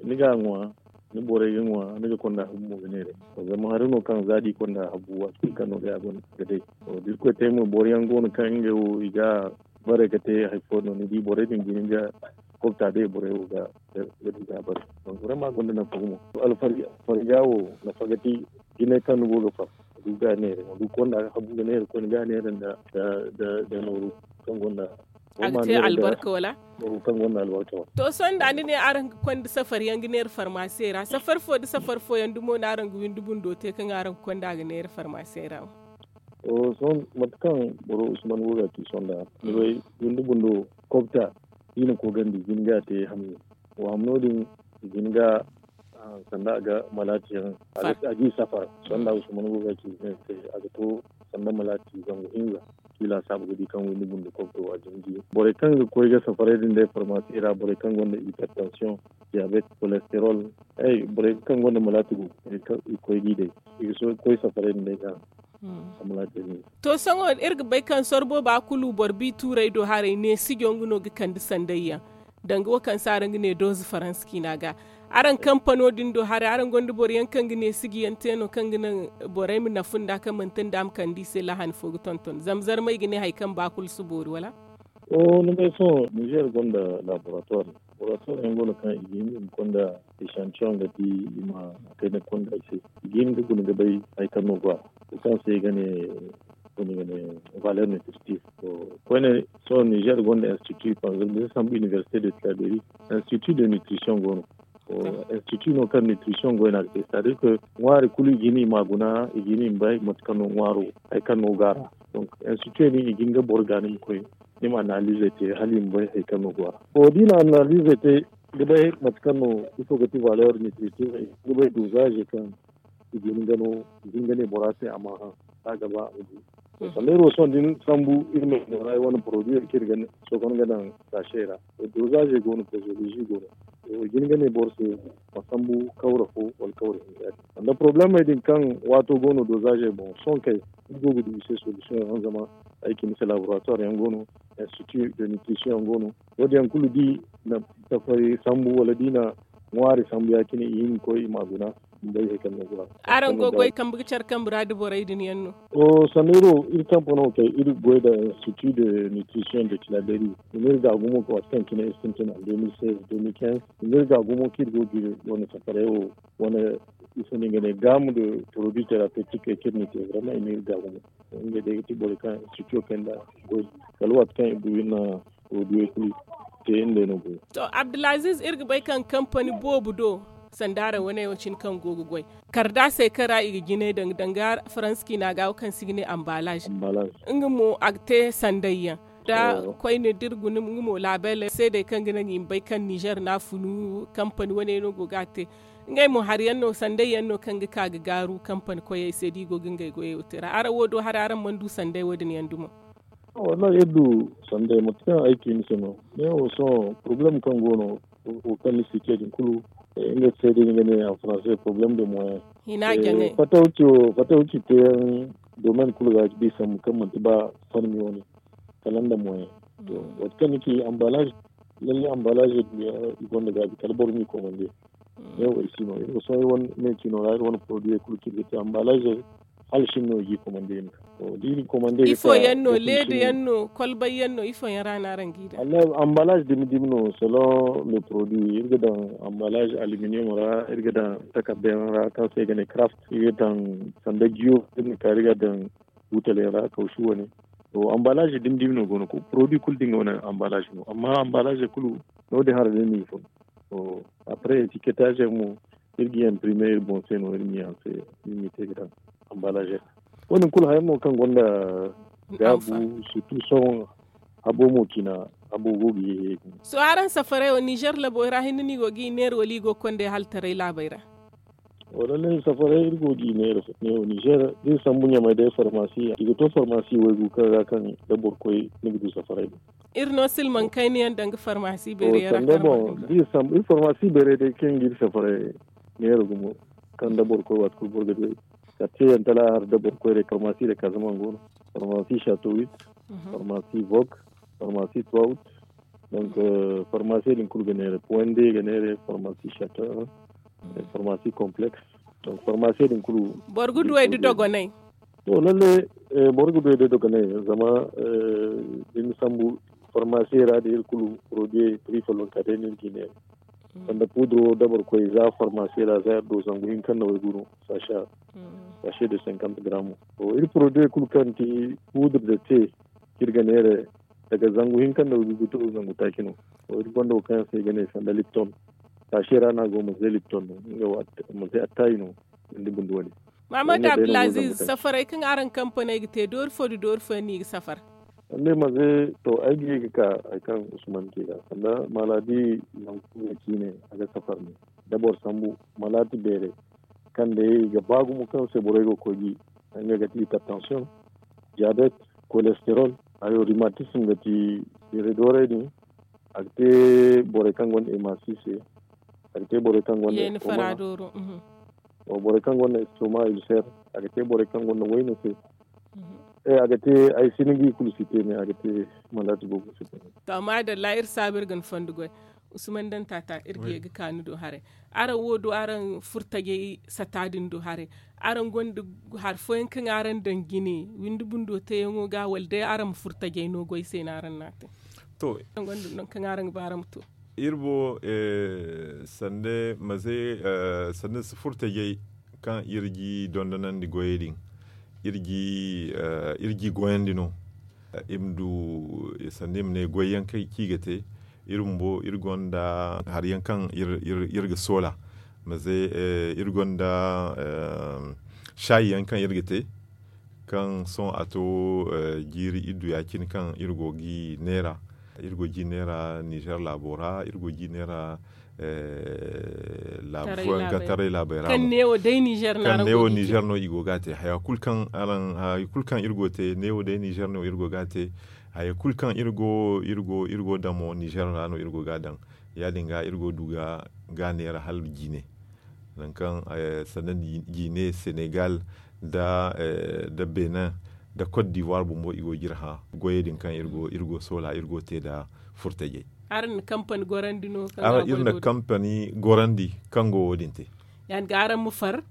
ni ga a ŋwa, ni borey ga ŋwa ni ga konda habu mo ga neera. Zama hari no kaŋ za da i konda habu waati kulu kaŋ no day a gonda ga day. Da irkoy te mo boro yaŋ go no kaŋ ngey wo i ga bare ga te hari fo no ni di borey din ga hin ga kobta day borey wo ga ga du ga a bare. Donk vraiment a gonda nafa gumo. Alfarga wo nafa ga ti jinay kaŋ ni go ga fatta du ga neera ma du konda habu ga neera koyne ga neera nda nooru kaŋ gonda a ga te albarka wala? Kaŋ gonda albarka wala? To sohõ nda ni ne araŋ ga konda safar yaŋ ga neera farmaasey ra safar fo nda safar fo yaŋ dumo no araŋ ga windi bundo te kaŋ araŋ ga konda ga neera farmaasey ra wo? To sohõ mate kaŋ boro usman go ga a ci sohõ nda ni bay windi bundo kobta i na koogandi i ga hin ga a te hamni. Wa hamno din i ga hin ga sanda a ga malaati yaŋ a ga i safar. Sanda usman go ga ci se a ga to sanda malaati zangu hinza. Kila saabu ga di kaŋ windi bundo kobto a jinji borey kaŋ ga koy ga safaray din day farmaasi ra borey kaŋ gonda hipertension, diabet, kolesterol, borey kaŋ gonda malaati go ga koy ga i day i ga koy safaray din day ga. To sohõ iri ga bay kaŋ sorbo ba kulu boro bi tuuray do haray ne sijo nga no ga kande sanday yaŋ. Danga wo kaŋ se araŋ ga ne dooze faransa ciina ga araŋ kampano din do haray araŋ gonda boro yaŋ kaŋ ga ne siji yaŋ te no kaŋ ga naŋ borey ma nafa nda kaŋ manti nda a ma kande i se lahani fo ga tonton zama zarmey ga ne hari kaŋ ba kulu si boori wala? Ni bay sohõ nizer gonda laboratuwar. Laboratuwar yaŋ go no kaŋ i ga hin i ma konda esantiyoŋ ga di i ma kayna konda i se. I ga hin ga guna ga bay hari kaŋ no go a ra kaŋ se i ga ne valeur nutritive. Koyne sohõ nizer gonda institut panzermisa sambu université de traderi. Institut de nutrition go no. Institut no kaŋ nutrition goy no a ga te c'est à dire que ŋwaari kulu i ga hin i ma a guna i ga hin i ma bay mate kaŋ no ŋwaaro hari kaŋ no go a ra. Donc institut din i ga hin ga boro gaani ma koy ni ma analyse te hala i ma bay hari kaŋ no go a ra. To da i na analyse te ga bay mate kaŋ no ifo ga ti valeur nutritive ga bay dosage kaŋ i ga hin ga no i ga hin ga ne bora se a ma hã. Za a ga ba a ma du. Sanda iri wo sohõ da ni sambu iri ma i no ra iri wane produit kaŋ iri ga sookon ga daŋ saasey ra. Dosage go no posologie go no. I ga hin ga ne boro se ma sambu kawra fo wala kawra hinza. Sanda problemey din kaŋ waato go no dosage boŋ sohõ kay iri go ga du i se solution yaŋ zama ay cine se laboratoire yaŋ go no, institut de nutrition yaŋ go no. Wo- din yaŋ kulu da i na tafari sambu wala da i na ŋwaari sambu ya- cine i hin ga koy i ma a guna. Ni bay hari kaŋ no go a ra. Araŋ go ga goy kambe ga care kambe ra da borey din yaŋ no? Sanno iri wo iri kampano kay iri ga goy nda institut de nutrition de claberi. I na iri gaagumo waati kaŋ cine iri sintina deux mille seize deux mille quinze. I na iri gaagumo kaŋ iri go ga iri wane safaray wo wane ifo no i ga ne gamme de produit thérapeutique kaŋ iri na te vraiment i na iri gaagumo. Ngey day ga ti borey kaŋ institut kay nda goy kala waati kaŋ i du iri na produit kulu te iri day no goy. To abdulaziz iri ga bay kaŋ kampani boobo do sanda araŋ wane wo cine kaŋ go ga goy. Kardaasey kaŋ ra i ga jinay daŋ danga faransa ciina ga wo kaŋ se i ga ne ambalaz. Nga mo a ga te sanday yaŋ da koyne da iri guna nga mo laabeley seedey kaŋ ga naŋ i ma bay kaŋ nizer no a funu kampani wane no go ga a te. Ngey mo hari yaŋ no sanday yaŋ no kaŋ ga ka ga gaaru kampani koyey se da i go ga ngey goyey wo te ra araŋ wo do haray araŋ mana du sanday wo- din yaŋ dumo? Wallahi iri du sanday mate kaŋ ay ci ni se no. Ne wo sohõ problème kaŋ go no wo kaŋ ni si ce din kulu. Nga se day ni ga ne en français problème de moyen. Hina jaŋay. Fatawci wo fatawci teyaŋ domaine kulu ga ga di sambu kaŋ manti ba farmi wane kala nda moyen. To waati kaŋ ni ci ambalage lalle ambalage i gonda gaabi kala boro m'i komande. Ne wo ay si no iri wo sohõ iri wane me cino ra iri wane produit kulu kaŋ iri ga te ambalage. hala shin no i g'i komande i ma ka. To da i na komande i ga ka ifo yaŋ no leeda yaŋ no kolbay yaŋ no ifo yaŋ ra no araŋ g'i daŋ? Ambalaaze dumi dumi no selon le produit iri ga daŋ. Ambalaaze aluminiyom ra iri ga daŋ takarda yaŋ ra kaŋ se i ga ne karaaft iri ga daŋ sanda jiyo iri na ka iri ga daŋ buutali yaŋ ra kawsu wane. To ambalaaze dumi dumi no go no produit kulu da nga wane ambalaaze no amma ambalaaze kulu no- din hara day no i fun. To apre etiketaaze yaŋ mo iri ga i imprime iri boŋ se no iri ma i hanse iri ma i te ga daŋ ambalaaze. Wo- din kulu haya mo kaŋ gonda gaabu surtu sohõ habo mo cina habo go ga ye. Sohõ araŋ safaray wo nizer labo ra hinne no i go ga i neera wala i go ga konda yaŋ hala taray laabey ra? Wala ne safaray iri go ga i neera ne wo nizer da iri sambu ɲamay day farmasi i ga to farmasi waygu kaŋ ra kaŋ da boro koy ni ga du safaray din. Iri no silmaŋ kayna yaŋ danga farmasi beeray yaŋ ra kaŋ boro ga du. Iri farmasi beeray day kaŋ ga iri safaray neera gumo kaŋ da boro koy waati kulu boro ga du ay. Kala te yaŋ tala har da boro koy day farmasi day kazaman go no, farmasi chateau huit, farmasi vok, farmasi trois août. Donc farmasi din kulu ga neera point d ga neera farmasi chateau un, farmasi complexe. Donc farmasi din kulu boro ga du ay da dogonay. To lalle boro ga du ay da dogonay zama da ni sambu farmasi ra da iri kulu produit prix follonka day no iri ga i neera. Sanda pudro da boro koy za farmasi ra za iri do zangu hinka nda waygu no. Sachet de cinquante grammes. To iri produit kulu kaŋ ti pudro da te kaŋ iri ga neera daga zangu hinka nda waygu ga to zangu taaci no. To iri gonda wo kaŋ yaŋ se i ga ne sanda lipton. Sachet ra no a go manze lipton no nga wo manze attaayi no. Sanda bundu wane. Mahamad abdulaziz safaray kaŋ araŋ kampaney ga te doori fo nda doori fo yaŋ no i ga safar? Sanda manze to ay ga ye ga ka hari kaŋ usman te ga sanda maladi nangu kulu ga ciine a ga safar ne. Da boro sambu maladi beeray kaŋ day i ga ba gumo kaŋ se borey go ga koy ga i nga ga ti hypertension, diabet, cholesterol, hayo rhumatisme ga ti beeray doorey din. A ga te borey kaŋ gonda emasi se. A ga te borey kaŋ gonda estoma. Borey kaŋ gonda estoma ulcer. A ga te borey kaŋ gonda wayna se. A ga te ay si ni ga i kulu si te me a ga te malati boobo si te me. To maadalla iri saabu iri ga ni fondo goy. Usman daŋ taata iri ga ye ga ka ni do haray. Araŋ wo do araŋ furtajey sata din do haray. Araŋ gonda hari fooyaŋ kaŋ araŋ daŋ jine windi bundo teeyaŋo ga wala day araŋ ma furtajey no goy se no araŋ na a te? To araŋ gonda nangu kaŋ araŋ ga ba araŋ ma to? Iri bo sanda maze sanda si furtajey kaŋ iri ga i dondonandi goyey din iri ga i goyandi no. Iri ma du sanda i ma ne goyyaŋ kaŋ i ga te. Iri bumbo iri gonda hari yaŋ kaŋ iri ga soola maze iri gonda saayi yaŋ kaŋ iri ga te. Kaŋ sohõ a to jiiri iddu ya- cine kaŋ iri go ga i neera. Iri go ga i neera nizer laabo ra iri go ga i neera laabu fooyaŋ kaŋ taray laabey ra kaŋ neewo day nizer no i go ga a te haya kulu kaŋ iri go ga a te haya kulu kaŋ iri go iri go iri go damo nizer ra no iri go ga a daŋ. Ya- din ga iri go ga du ga a neera hala jiine. Nangu kaŋ sanda jiine senegal nda benin nda cote d'ivoire bumbo i go ga iri hã goyey din kaŋ iri go soola iri go ga te nda furtajey. Araŋ na kampani gorandi no kaŋ ga a goy iri na kampani gorandi kaŋ go wo- din te. Ya- din ga araŋ ma far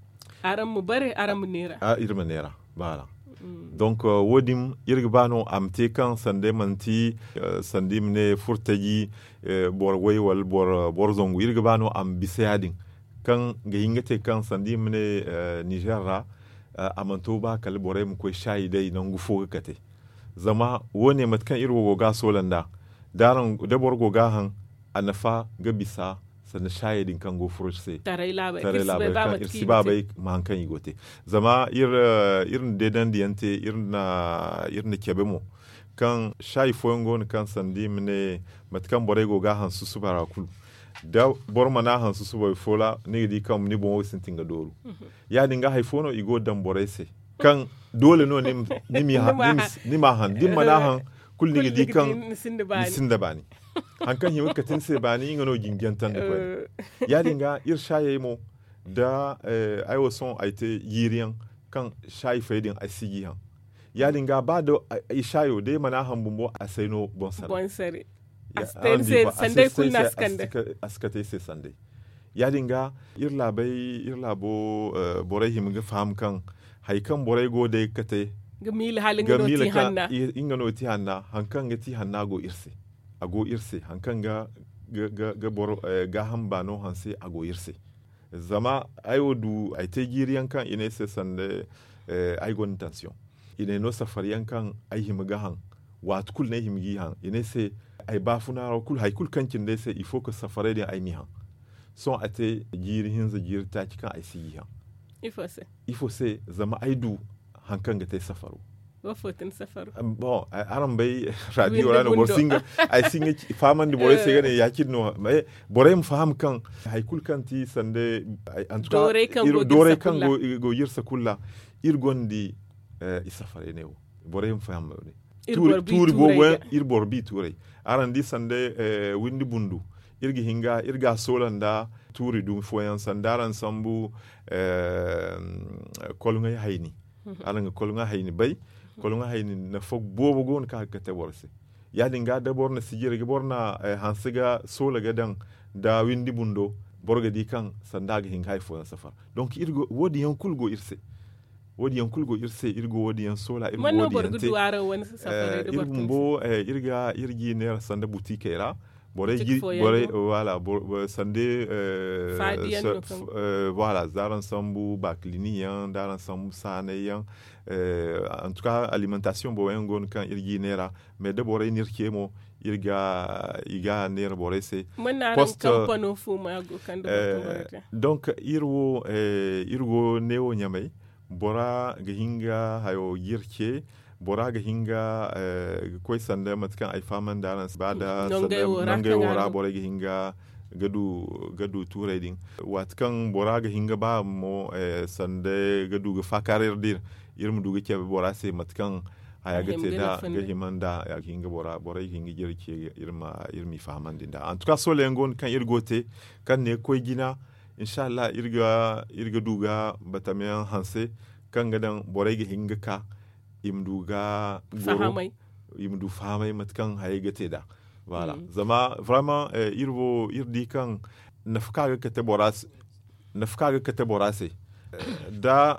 araŋ ma bare araŋ ma neera. Iri ma neera baala. Donc wo- din iri ga ba no a ma te kaŋ sanda manti sanda i ma ne furtaji boro way wala boro zangu iri ga ba no a ma bisa ya- din. Kaŋ ga hin ga te kaŋ sanda i ma ne nizer ra a mana to ba kala borey ma koy saayi day nangu fo ga kate. Zama wo- ne mate kaŋ iri wo go ga a soola nd'a da boro go ga a haŋ a nafa ga bisa sanda saayey din kaŋ go furo se taray laabey kaŋ iri si ba bay ma haŋ kaŋ i go te. Zama iri na deedandi yaŋ te iri na cabe mo kaŋ saayi fooyaŋ go no kaŋ sanda i ma ne mate kaŋ borey go ga a haŋ susuba ra kulu da boro mana a haŋ susuba fo ra ni ga di kaŋ ni boŋo ga sintin ga dooru. Ya- din ga hari fo no i go ga daŋ borey se kaŋ doole no ni m'a haŋ da ni mana a haŋ kulu ni ga di kaŋ ni sinda baani. Hari kaŋ hima ga kate ni se baani nga no jinjantandi koyne. Ya- din ga iri saayey mo da ay wo sohõ ay te jiiri yaŋ kaŋ saayi fay din ay si ga i haŋ. Ya- din ga ba da ay saayo da ay mana a haŋ bumbo a si ay no boŋ sare. A si kate ay se sanday. Ya- din ga iri laabo borey hima ga faham kaŋ hari kaŋ borey go day ga kate ga miila hala nga no ti hanna. Hari kaŋ ga ti hanna hari kaŋ ga ti hanna go iri se. A go iri se hari kaŋ ga boro gaaham baano hanse a go iri se. Zama ay wo du ay te jiiri yaŋ kaŋ i ne ay se sanda ay gonda tansiyoŋ. I ne no safari yaŋ kaŋ ay hima ga haŋ waati kulu no ay hima g'i haŋ i ne ay se ay baafuna ra kulu hari kulu kaŋ cindi ay se il faut que safarey din ay m'i haŋ. Sohõ a te jiiri hinza jiiri taaci kaŋ ay si g'i haŋ. Ifo se? Zama ay du hari kaŋ ga te safaro. Bon, araŋ bay radio ra no boro si hin ga fahamandi borey se ga ne ya- cine no. Borey ma faham kaŋ hari kulu kaŋ ti sanda dooray kaŋ go ga iri sakulla iri gonda i safarey ne wo. Borey ma faham ne tuuri boobo yaŋ iri boro bi tuuray. Araŋ di sanda windi bundu iri ga hin ga iri ga a soola nda tuuri dumi fooyaŋ sanda araŋ sambu kolŋey hayni. Araŋ ga kolŋa hayni bay. Kolŋa hayni nafa boobo go no kaŋ a ga kate boro se. Ya- din ga da boro na sijiri ga boro na hanse ga soola ga daŋ nda windi bundo boro ga di kaŋ sanda a ga hin ga hari fooyaŋ safar. Donk wo- din yaŋ kulu go iri se. Wo- din yaŋ kulu go iri se iri go wo- din yaŋ soola iri go wo- din yaŋ te. Iri bumbo iri ga iri g'i neera sanda butikey ra. Borey gi borey wala sande. Voilà za araŋ sambu baakilini yaŋ da araŋ sambu saanay yaŋ. Antuka alimentation boobo yaŋ go no kaŋ iri g'i neera. Mais da borey n'iri ce mo iri ga i ga neera borey se. Post donc iri wo iri go neewo ɲamay. Bora ga hin ga hayo g'iri ce. Bora ga hin ga koy sanda mate kaŋ ay fahamandi araŋ se ba da nangey wo ra borey ga hin ga ga du tuuray din. Waati kaŋ bora ga hin ga ba mo sanda ga du ga faakaaray iri da iri iri ma du ga cabe bora se mate kaŋ haya ga te da ga hima nda a ga hin ga bora borey ga hin ga jare ce iri m'i fahamandi nda antuka soola yaŋ go no kaŋ iri go te kaŋ ne ga koy jina. Inshallah iri ga du ga batamiyaŋ hanse kaŋ ga daŋ borey ga hin ga ka i ma du ga goro i ma du fahamay mate kaŋ hayey ga te nd'a. Voilà zama vraiment iri wo iri di kaŋ nafa kaŋ a ga kate bora se nafa kaŋ a ga kate bora se da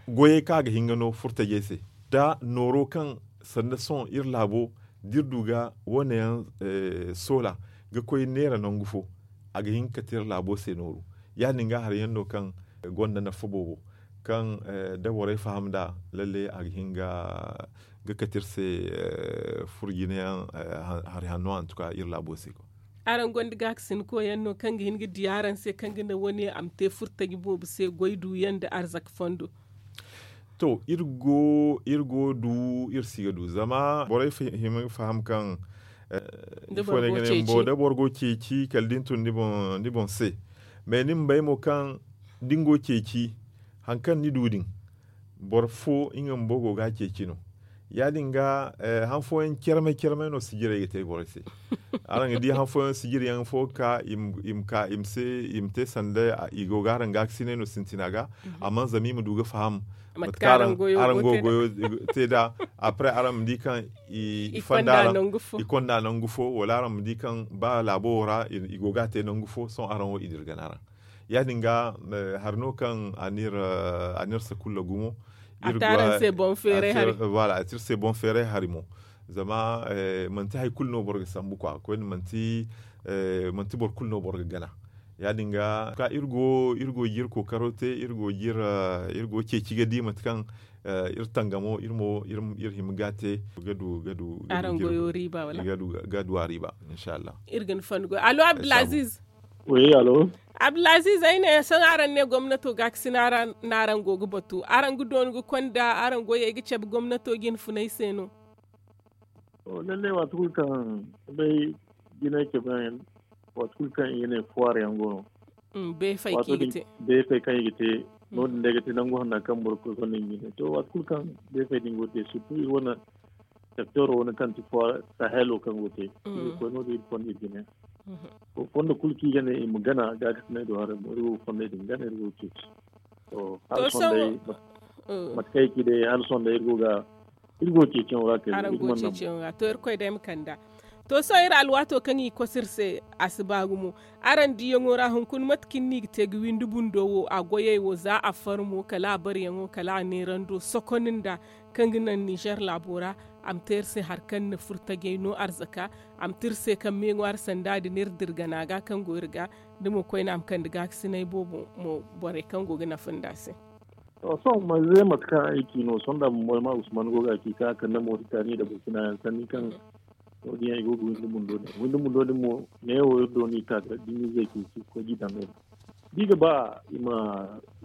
goyey kaŋ a ga hin ga no furtajey se da nooro kaŋ sanda sohõ iri laabo da iri du ga wo- ne yaŋ soola ga koy neera nangu fo a ga hin ga kate iri laabo se nooru. Ya- din ga hari yaŋ no kaŋ gonda nafa boobo kaŋ da borey faham nd'a lalle a ga hin ga ga kate iri se furo jine yaŋ hari hanno antuka iri laabo se. Araŋ gonda gaakasin koy yaŋ no kaŋ ga hin ga di araŋ se kaŋ ga naŋ wane a ma te furtaji boobo se goy du yaŋ nda arzaka fondo? To iri go du iri si ga du zama borey hima ga faham kaŋ da boro go ceeci kala da ni tun ni boŋ se. Mais ni ma bay mo kaŋ da ni go ceeci hari kaŋ ni du din boro fo nga bumbo go ga a ceeci no. Ya- din ga han fooyaŋ carmay carmay no sijirey ga te borey se. Araŋ ga di han fooyaŋ sijiri yaŋ fo ga ka i ma ka i ma se i ma te sanda i go ga araŋ gaakasinay no sintina ga. Amma zama i ma du ga faham mate kaŋ araŋ go goyo te nd'a. Après araŋ ma di kaŋ i konda nangu fo wala araŋ ma di kaŋ ba laabo wo ra i go ga a te nangu fo sohõ araŋ wo i dira gana ra. Ya- din ga hari no kaŋ a n'iri sakulla gumo. A te iri se boŋ feeray hari mo. Zama manti hari kulu no boro ga sambu kwa koyne manti boro kulu no boro ga gana. Ya- din ga ka iri go ga iri kookaro te iri go ga iri ceeci ga di mate kaŋ iri tangamo iri mo iri hima ga te ga du ga du ga du a riiba inshallah. Iri ga ni fondu goy alo abdulaziz. Abdulaziz ay ne sohõ araŋ ne gomnato gaakasina ra no araŋ go ga batu araŋ ga doonu ga konda araŋ goyey ga cabe gomnato jine funay se no? Lallai waati kulu kaŋ bay jinay cabe yaŋ waati kulu kaŋ i ga ne fuwaar yaŋ go no. Beefay kaŋ i ga te no- din day ga te nangu hanna kaŋ boro ga koy konda i ga ne to waati kulu kaŋ beefay din go ga te surtout iri wane sectoro wane kaŋ ti fuwaar sahelo kaŋ go ga te iri ga koy no- din iri fonda iri ga ne fondo kulu kaŋ i ga ne i ma gana gaakasinay do haray mo iri go ga fondey din gana iri go ga ceeci. To hala sohõ day mate kaŋ ay ci day hala sohõ day iri go ga iri go ga ceeciyaŋo ra kay araŋ go ga ceeciyaŋo ra to irkoy day ma kanda. To sohõ iri alwaato kaŋ i ga koso iri se, a si ba gumo. Araŋ diyaŋo ra hunkuna mate kaŋ ni ga te ga windi bundo wo a goyey wo za a far mo kala a baryaŋo kala a neerando sokon nda kaŋ ga naŋ nizer laabo ra. A ma te iri se hari kaŋ na furo tajey no arzaka. A ma te iri se kaŋ meeŋwaari sanda din iri dira gana ga kaŋ go iri ga da mo koyne a ma kande gaakasinay boobo mo borey kaŋ go ga nafa nda a se. To sohõ manze mate kaŋ ay ci no sohõ da bumbo ay ma usman go ga ci kaŋ a kande moritani nda burkina yaŋ sanni kaŋ no- din yaŋ i go ga windi bundo din windi bundo din mo neewo iri do no i ka ga dimize ceeci ga koy ga i daŋ no din. Da i ga ba i ma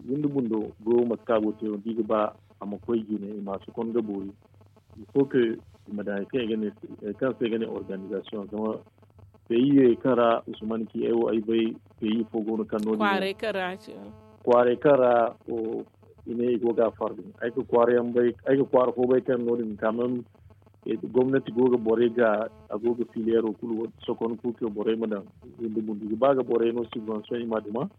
windi bundo goyo mate kaŋ a go ga te no da i ga ba a ma koy jine i ma a sokon ga boori. Il faut que i ma daŋ hari kaŋ se i ga ne organizasiyoŋ zama peyi kaŋ ra usman ci ay wo ay bay peyi fo go no kaŋ no din kwaaray kaŋ ra i ne i go ga a fardi ay ga kwaara fo bay kaŋ no- din kaŋ même gomnati go ga borey ga a go ga filiyaro kulu sokon kulu kaŋ borey ma daŋ windi bundo i ga ba ga borey no subvention i ma duma.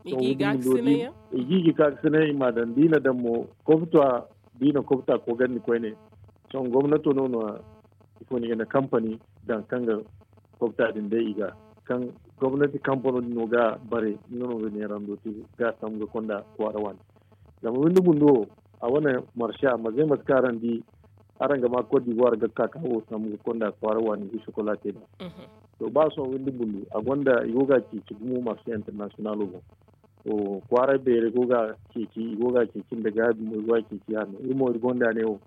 I ga i ga ga sinay i ma daŋ da i na daŋ mo kobta da i na kobta kogandi koyne. Sohõ gomnato no no ifo no i ga ne kampani daŋ kaŋ ga kobta din day i ga kaŋ gomnati kampano din no ga bare nga no ga neerando te ga sambu ga konda kwaara waani. Zama windi bundo wo a wane marse a mazey mate kaŋ araŋ di araŋ ga ma kot dibuwar ga ka ka wo sambu ga konda kwaara waani ga sokola te da. To ba sohõ windi bundo a gonda i go ga ceeci gumo marse internasiyonalo boŋ. Kwaaray beerey go ga ceeci i go ga ceeci nda gaabi mo i go ga ceeci hanno iri mo iri gonda ne wo.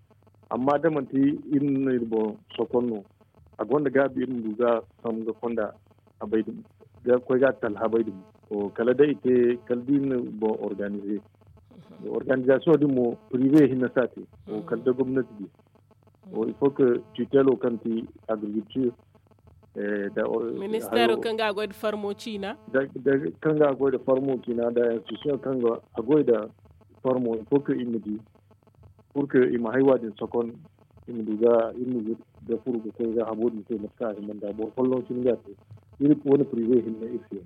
Amma da manti iri no iri boŋ sokon no a gonda gaabi iri ma du ga sambu ga konda habay dumi ga koy ga talhabay dumi. Kala day i te kala da iri na boŋ organize organizasiyoŋ din mo prive hinne si a te. Kala da gomnati di il faut que tutelo kaŋ ti agriculture ministero kaŋ ga a goy nda farmo ciina kaŋ ga a goy nda farmo ciina nda institution kaŋ ga a goy nda farmo il faut que i ma di pour que i ma haywa din sokon i ma du ga iri ma ga furu ga koy ga habo din se mate kaŋ a hima nda boro folloŋ cine ga te iri wane prive hinne iri se.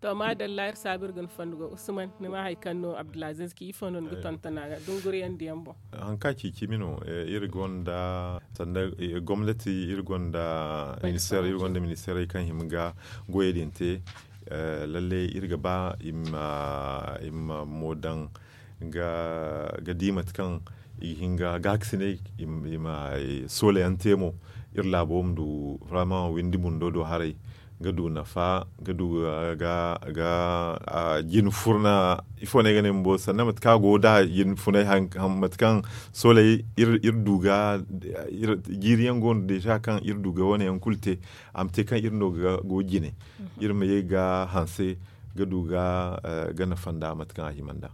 To maadalla iri saabu iri ga ni fondo go usman ni ma hari kaŋ no abdulaziz ci ifo no ni ga tonton a ga dunguriyandiyaŋ boŋ. Hari kaŋ a ci cimi no iri gonda sanda gomnati iri gonda ministeerey kaŋ hima ga goyey din te. Lalle iri ga ba i ma mo daŋ ga di mate kaŋ i ga hin ga gaakasinay i ma soolayaŋ te mo iri laabo ma du vraiment windi bundo do haray ga du nafa ga du ga jina furna ifo no ay ga ne bumbo sannan mate kaŋ a go da jina funay mate kaŋ soolay iri du ga jiiri yaŋ go no deeza kaŋ iri du ga wane yaŋ kulu te a ma te kaŋ iri no ga go jine iri ma ye ga hanse ga du ga nafa nda mate kaŋ a hima nda.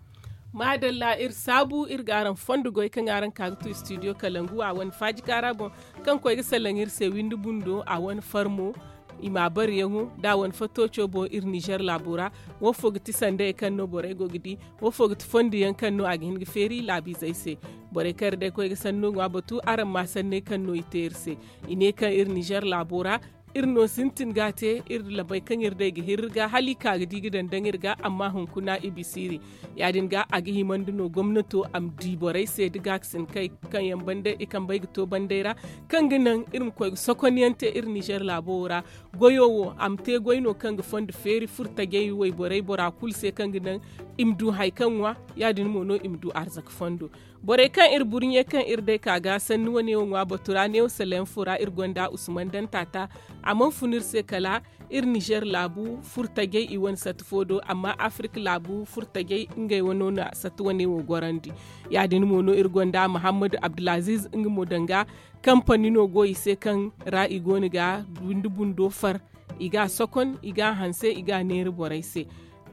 Maadalla iri saabu iri ga araŋ fondo goy kaŋ araŋ ka ga tu studio kalangu a wane faaji kaara boŋ kaŋ koy ga salaŋ iri se windi bundo a wane farmo i ma a bareyaŋo da a wane fattooco boŋ iri nizer laabo ra. Wo fo ga ti sandayey kaŋ no borey go ga di wo fo ga ti fondo yaŋ kaŋ no a ga hin ga feeri laabiizey se. Borey kaŋ iri day koy ga sanno ŋwa batu araŋ ma sanney kaŋ no i te iri se. I ne kaŋ iri nizer laabo ra iri no sintin ga a te iri labey kaŋ iri day ga hirri ga hala i ka ga di ga daŋ daŋ iri ga amma hunkuna i bisa iri. Ya- din ga a ga himandi no gomnato a ma di borey se da gaakasin kay kaŋ yaŋ banda i kambey ga to banday ra kaŋ ga naŋ iri ma koy ga sokonyaŋ te iri nizer laabo wo ra. Goyo wo a ma te goy no kaŋ ga fondo feeri furtajey wayborey bora kulu se kaŋ ga naŋ i ma du hari kaŋ ŋwa. Ya- din mo no i ma du arzaka fondo. Borey kaŋ iri burɲe kaŋ iri day ka ga sanni wane wo ŋwa batu ra neewo saleyaŋ fo ra iri gonda usman daŋ taata. A mana fun iri se kala iri nizer laabu furtajey i wane sati fo do amma afirik laabu furtajey ngey wano na sati wane wo gorandi. Ya- din mo no iri gonda muhammadu abdulaziz nga mo danga kampani no go i se kaŋ ra i go no ga windi bundo far i ga a sokon i ga a hanse i ga a neera borey se.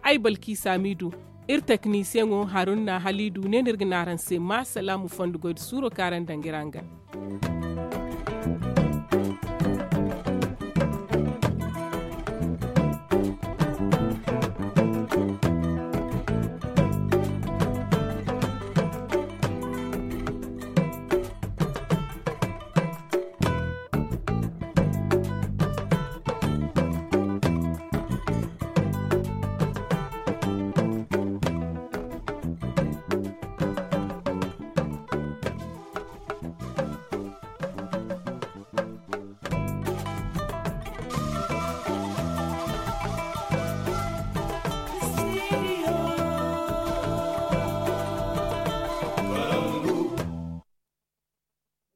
Ay balki saamiidu iri teknisiyeŋo harun na haliidu ne no iri ga ne araŋ se ma salaamu fondo goy nda suuro kaŋ araŋ daŋ ga iri hangan.